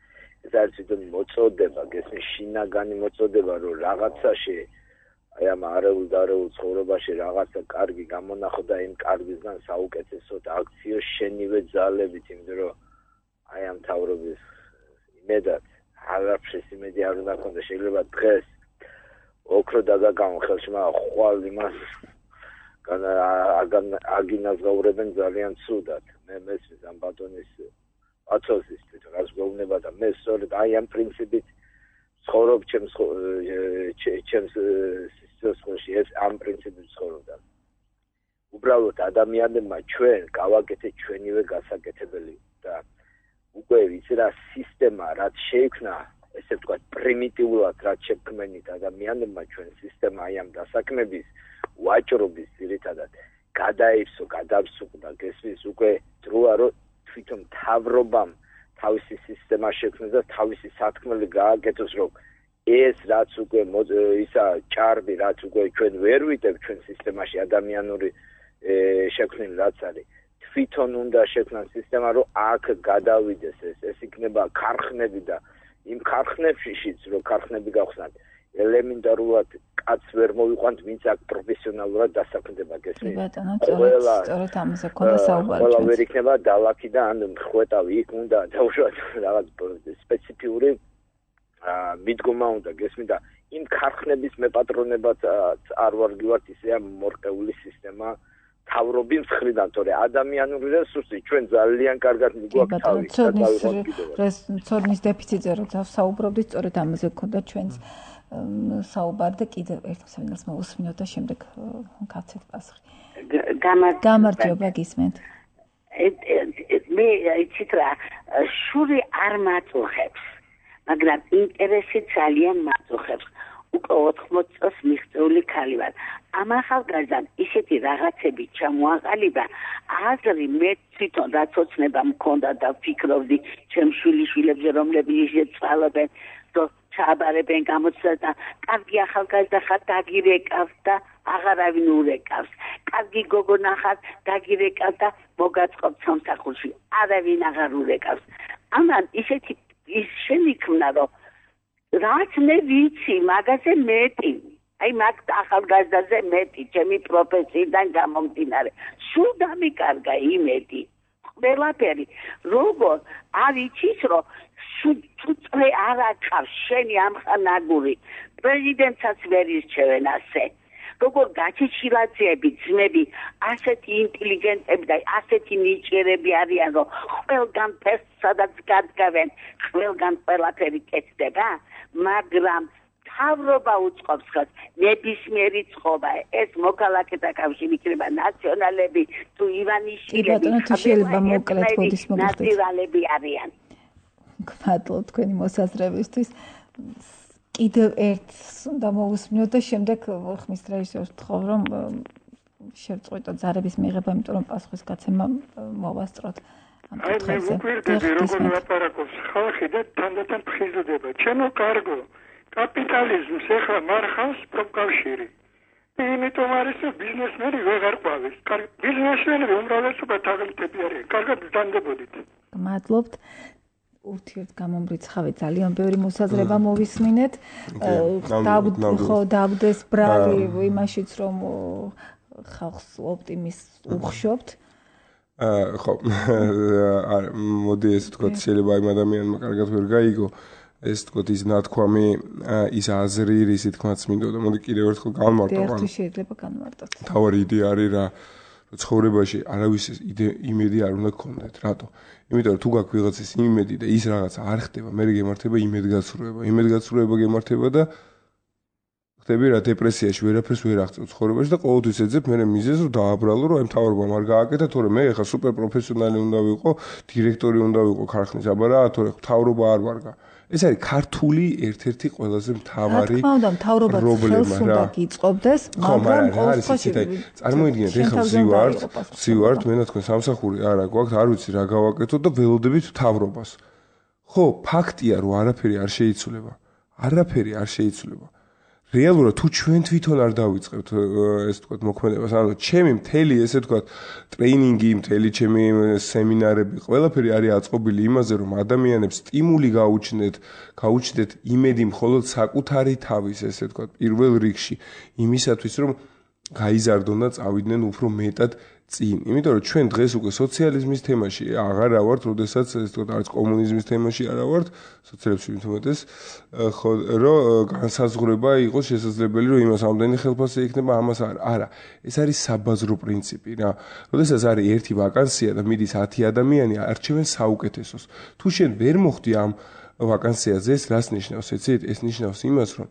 ეს არის თვითონ მოწოდება, გესმის შინაგანი მოწოდება, რომ რაღაცაში აი ამ არეულ ცხოვრებაში რაღაცა კარგი გამონახო და იმ კარგისგან საუკეთესოდ აქციო შენივე ძალებით, იმიტომ რომ აი ამ თავრობის იმედად არაფრის იმედი არ უნდა ქონდეს. შეიძლება დღეს ოქრო დაგაგამო ხელში, მაგრამ ხვალ იმას აგინაზღაურებენ ძალიან ცუდად. მე მესმის ამ ბატონის აცოლის თვითონ რაც გვეუბნება და მე სწორედ აი ამ პრინციპით ცხოვრობ ჩემს სიცოცხლეში, ეს ამ პრინციპით ცხოვრობდა. უბრალოდ ადამიანებმა ჩვენ გავაკეთეთ ჩვენივე გასაკეთებელი და უკვე ვიცი რა სისტემა რაც შეიქმნა, ესე ვთქვათ პრიმიტიულად რაც შექმნით ადამიანებმა ჩვენ სისტემა აი ამ დასაქმების ვაჭრობის ძირითადად გადაიფსო, გადავსუყდა, გესმის უკვე დროა რომ თვითონ მთავრობამ თავისი სისტემა შექმნას და თავისი სათქმელი გააკეთოს, რომ ეს რაც უკვე ისა ჭარბი რაც უკვე ჩვენ ვერ ვიტევთ ჩვენ სისტემაში ადამიანური შექმნილი რაც არის, თვითონ უნდა შექმნას სისტემა, რომ აქ გადავიდეს ეს იქნება ქარხნები და იმ ქარხნებშიც რომ ქარხნები გავხსნათ ელემენტარულად კაც ვერ მოვიყვანთ, ვინც აქ პროფესიონალურად დასაქმდება, გესმის? სწორედ ამაზე ქონდა საუბარი. ყველა ვერ იქნება დალაქი და ან ხვეტავი იქ უნდა დაუშვათ რაღაც სპეციფიური მიდგომა უნდა, გესმის? და იმ ქარხნების მეპატრონებად არ ვარგივართ, ისეა მორყეული სისტემა თავრობის მხრიდან, თორე ადამიანური რესურსი ჩვენ ძალიან კარგად მიგვაქვს თავი და დავიღოთ ცოდნის დეფიციტზე როცა საუბრობდით, სწორედ ამაზე გქონდა ჩვენს საუბარი და კიდევ ერთ მსმენელს მოვუსმინოთ და შემდეგ გაცეთ პასუხი. გამარჯობა გისმენთ. მე იცით რა, შური არ მაწუხებს, მაგრამ ინტერესი ძალიან მაწუხებს. უკვე 80 წელს მიღწეული ქალი ვარ. ამ ახალგაზრდამ ისეთი რაღაცები ჩამოაყალიბა, აზრი მე თვითონ რაც ოცნება მქონდა და ვფიქრობდი ჩემ შვილიშვილებზე, რომლებიც ეცვალებენ, ჩააბარებენ გამოცდა და კარგი ახალგაზრდა ხარ, დაგირეკავს და აღარავინ ურეკავს. კარგი გოგონა ხარ, დაგირეკავს და მოგაწყობ სამსახურში. არავინ აღარ ურეკავს. ამან ისეთი ის შემიქმნა, რომ რაც მე ვიცი, მაგაზე მეტი. აი მაგ ახალგაზრდაზე მეტი, ჩემი პროფესიიდან გამომდინარე. სულ დამიკარგა იმედი. ყველაფერი. როგორ არ იცის, რომ სუწრე არ აკავს შენი ამხანაგური. პრეზიდენტსაც ვერ ირჩევენ ასე. როგორ გაჩეჩილაძეები, ძმები, ასეთი ინტელიგენტები და ასეთი ნიჭიერები არიან, რომ ყველგან ფესს სადაც გადგავენ, ყველგან ყველაფერი კეთდება, მაგრამ თავრობა უწყობს ხელს, ნებისმიერი წყობა, ეს მოქალაქეთა კავშირი იქნება ნაციონალები, თუ ივანიშვილები, შეიძლება მოკლედ ბოდის მოგხდეთ. ნაციონალები არიან. გმადლობ თქვენი მოსაზრებისთვის. კიდევ ერთს უნდა მოვუსმინოთ და შემდეგ ხმის რეჟისორს ვთხოვ, რომ შევწყვიტოთ ზარების მიღება, იმიტომ რომ პასუხის გაცემა მოვასწროთ ამ კითხვებზე. მე ვუკვირდები, როგორ ლაპარაკობს ხალხი და თანდათან ფხიზლდება. ჩემო კარგო, კაპიტალიზმს ეხლა მარხავს პროფკავშირი. იმიტომ არის, რომ ბიზნესმენი ვეღარ ყვავის. ბიზნესმენები უმრავლესობა თაღლითები არიან. კარგად ვდანდებოდით. გმადლობთ. ურთიერთ გამომრიცხავით ძალიან ბევრი მოსაზრება მოვისმინეთ. დაგვდეს ბრალი იმაშიც, რომ ხალხს ოპტიმიზმს უხშობთ. ხო, მოდი ესე თქვა, შეიძლება იმ ადამიანმა კარგად ვერ გაიგო, ეს თქვა ის ნათქვამი, ის აზრი, ისი თქმაც მინდოდა. მოდი კიდევ ერთხელ განმარტო. შეიძლება განმარტოთ. თავარი იდეა არის რა, ცხოვრებაში არავის იმედი არ უნდა გქონდეთ. რატო? იმიტომ რომ თუ გაქვს ვიღაცის იმედი და ის რაღაც არ ხდება, მე გემართება იმედგაცრუება. იმედგაცრუება გემართება და ხდები რა დეპრესიაში, ვერაფერს ვერ აღწევ ცხოვრებაში და ყოველთვის ეძებ მე მიზეზს რომ დააბრალო, რომ აი მთავრობამ არ გააკეთა, თორე მე ხა სუპერ პროფესიონალი უნდა ვიყო, დირექტორი უნდა ვიყო ქარხნის, აბა რა, თორე მთავრობა არ ვარგა. ეს არის ქართული ერთ-ერთი ყველაზე მთავარი პრობლემა. რა თქმა უნდა, მთავრობაც ხელს უნდა გიწყობდეს, მაგრამ ყოველთვის წარმოიდგინეთ, ეხლა ვზივართ, მე და თქვენ სამსახური არა გვაქვს, არ ვიცი რა გავაკეთოთ და ველოდებით მთავრობას. ხო, ფაქტია, რომ არაფერი არ შეიცვლება. არაფერი არ შეიცვლება. რეალურად თუ ჩვენ თვითონ არ დავიწყებთ ეს თქვა მოქმედებას, ანუ ჩემი მთელი ესე თქვა ტრეინინგი, მთელი ჩემი სემინარები, ყველაფერი არის აწყობილი იმაზე, რომ ადამიანებს სტიმული გაუჩნდეთ იმედი მხოლოდ საკუთარი თავის ესე თქვა პირველ რიგში იმისათვის, რომ გაიზარდონ და წავიდნენ უფრო მეტად წინ. იმიტომ რომ ჩვენ დღეს უკვე სოციალიზმის თემაში აღარ ავართ, როდესაც ეს თქვა არც კომუნიზმის თემაში არ ავართ, სოციალიზმში თუმეტეს, ხო, რომ განსაზღვრება იყოს შესაძლებელი, რომ იმას ამდენი ხელფასი იქნება, ამას არა. ეს არის საბაზრო პრინციპი რა. როდესაც არის ერთი ვაკანსია და მიდის 10 ადამიანი, არჩევენ საუკეთესოს. თუ შენ ვერ მოხდი ამ ვაკანსიაზე, ეს რას ნიშნავს? ეცით, ეს ნიშნავს იმას, რომ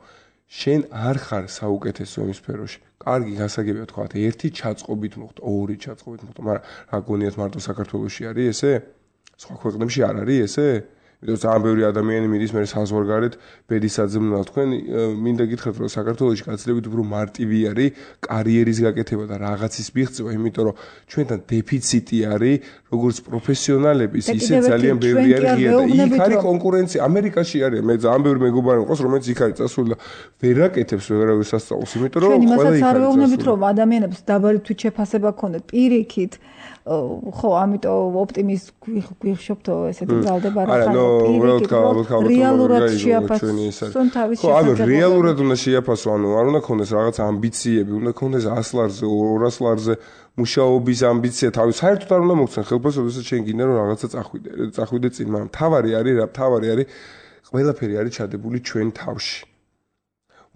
შენ არ ხარ საუკეთესო იმ სფეროში. კარგი გასაგებია თქვა, ერთი ჩაწყობით მოხდა, ორი ჩაწყობით მოხდა, მაგრამ რა გონიათ მარტო საქართველოში არის ესე? სხვა ქვეყნებში არ არის ესე? იმიტომ ძალიან ბევრი ადამიანი მიდის მე საზღვარგარეთ ბედისაძმნალ თქვენ მინდა გითხრათ რომ საქართველოში გაცილებით უფრო მარტივი არის კარიერის გაკეთება და რაღაცის მიღწევა, იმიტომ რომ ჩვენთან დეფიციტი არის როგორც პროფესიონალების, ისე ძალიან ბევრი არის ღია და იქ არის კონკურენცია. ამერიკაში არის, მე ძალიან ბევრი მეგობარი მყავს, რომელიც იქ არის წასული და ვერ აკეთებს ვერავის სასწაულს, იმიტომ რომ ყველა იქ არის. არ ვეუბნებით რომ ადამიანებს დაბალი თვით შეფასება ქონდეთ პირიქით. ხო, ამიტომ ოპტიმიზმ გვიხშობთ ესეთი ძალდება რა ხარ. რეალურად შეაფასონ თავის შესაძლებლობებს. ხო, ანუ რეალურად უნდა შეაფასო, ანუ არ უნდა ქონდეს რაღაც ამბიციები, უნდა ქონდეს 100 ლარზე, 200 ლარზე მუშაობის ამბიცია, თავის საერთოდ არ უნდა მოგცენ ხელფასს, როდესაც შენ გინდა რომ რაღაცა წახვიდე წინ, მაგრამ თავარი არის რა, თავარი არის ყველაფერი არის ჩადებული ჩვენ თავში.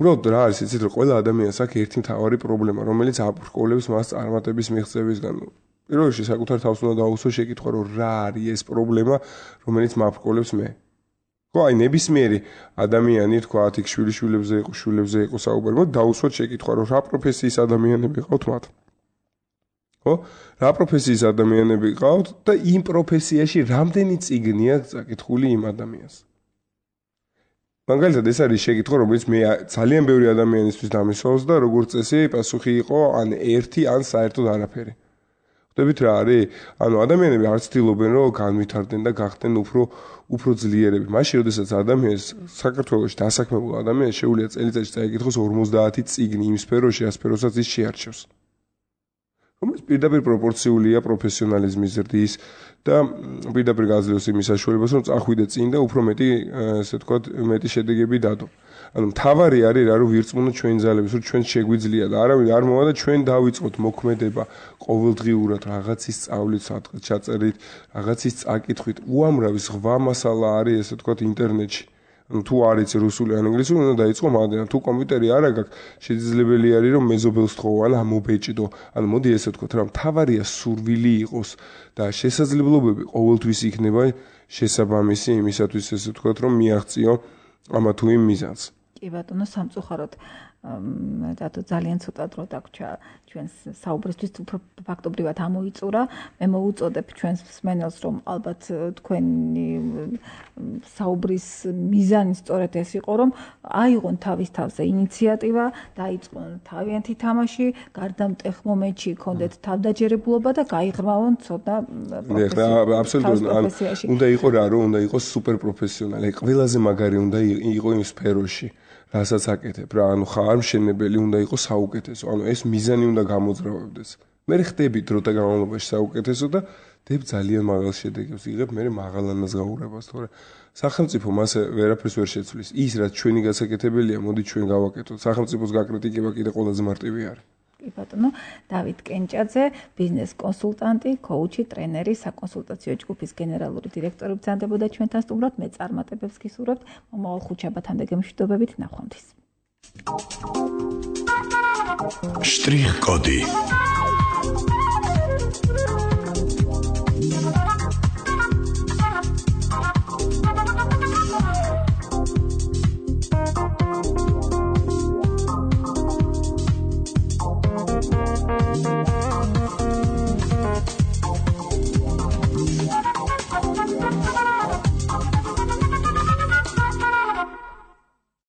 უბრალოდ რა არის იცით რომ ყველა ადამიანს აქვს ერთი მთავარი პრობლემა რომელიც აბრკოლებს მას წარმატების მიღწევისგან პირველ რიგში საკუთარ თავს უნდა დაუსვას შეკითხვა რომ რა არის ეს პრობლემა რომელიც მაბრკოლებს მე ხო აი ნებისმიერი ადამიანი თქვა იქ შვილებზე იყო საუბარი მოდი დაუსვათ შეკითხვა რომ რა პროფესიის ადამიანები ყავთ მათ ხო რა პროფესიის ადამიანები ყავთ და იმ პროფესიაში რამდენი წიგნია წაკითხული იმ ადამიანს მაგალითად ეს არის შეკითხვა რომელიც მე ძალიან ბევრი ადამიანისთვის დამისვავს და როგორც წესი პასუხი იყო ან ერთი ან საერთოდ არაფერი ხვდებით რა არის ანუ ადამიანები არ ცდილობენ რომ განვითარდნენ და გახდნენ უფრო ძლიერები მაშინ როდესაც ადამიანს საქართველოში დასაქმებულ ადამიანს შეუძლია წელიწადში წაიკითხოს 50 წიგნი იმ სფეროში რა სფეროსაც ის შეარჩევს რომელიც პირდაპირ პროპორციულია პროფესიონალიზმის ზრდის და პირდაპირ გაძლევს იმის საშუალებას რომ წახვიდე წინ და უფრო მეტი ესე ვთქვათ მეტი შედეგები დადო ანუ მთავარი არის რა რომ ვირწმუნოთ ჩვენ ძალებს რომ ჩვენ შეგვიძლია და არავინ არ მოვა და ჩვენ დავიწყოთ მოქმედება ყოველდღიურად რაღაცის სწავლით სადღაც ჩაწერით რაღაცის წაკითხვით უამრავი სხვა მასალა არის ესე ვთქვათ ინტერნეტში ანუ თუ არ იცი რუსული ან ინგლისური უნდა დაიწყო მაგდენ თუ კომპიუტერი არ აქვს შესაძლებელი არის რომ მეზობელს თხოვო ან ამობეჭდო ანუ მოდი ესე ვთქვათ რა მთავარია სურვილი იყოს და შესაძლებლობები ყოველთვის იქნება შესაბამისი იმისათვის ესე ვთქვათ რომ მიაღწიო ამა თუ იმ მიზანს კი ბატონო სამწუხაროდ დათო ძალიან ცოტა დრო დაგვრჩა ჩვენს საუბრისთვის უფრო ფაქტობრივად ამოიწურა მე მოუწოდებ ჩვენს მსმენელს რომ ალბათ თქვენი საუბრის მიზანი სწორედ ეს იყო რომ აიღონ თავის თავზე ინიციატივა დაიწყონ თავიანთი თამაში გარდამტეხ მომენტში კონდეთ თავდაჯერებულობა და გაიღრმავონ ცოტა აბსოლუტურად უნდა იყოს რა რომ უნდა იყოს სუპერ პროფესიონალი ყველაზე მაგარი უნდა იყოს იმ სფეროში რასაც აკეთებ რა ანუ ხარ მშენებელი უნდა იყოს საუკეთესო ანუ ეს მიზანი უნდა გამოძრავებდეს მე ხდები დროთა განმავლობაში საუკეთესო და დებ ძალიან მაღალ შედეგებს იღებ მე მაღალ ანაზღაურებას თორე სახელმწიფო მასე ვერაფერს ვერ შეცვლის ის რაც ჩვენი გასაკეთებელია მოდი ჩვენ გავაკეთოთ სახელმწიფოს გაკრიტიკება კიდე ყველაზე მარტივი არის კი ბატონო დავით კენჭაძე ბიზნეს კონსულტანტი კოუჩი ტრენერი საკონსულტაციო ჯგუფის გენერალური დირექტორი ბრძანდებოდა ჩვენთან სტუმრად მე წარმატებებს გისურვებთ მომავალ ხუთშაბათამდე გემშვიდობებით ნახვამდის შტრიხ კოდი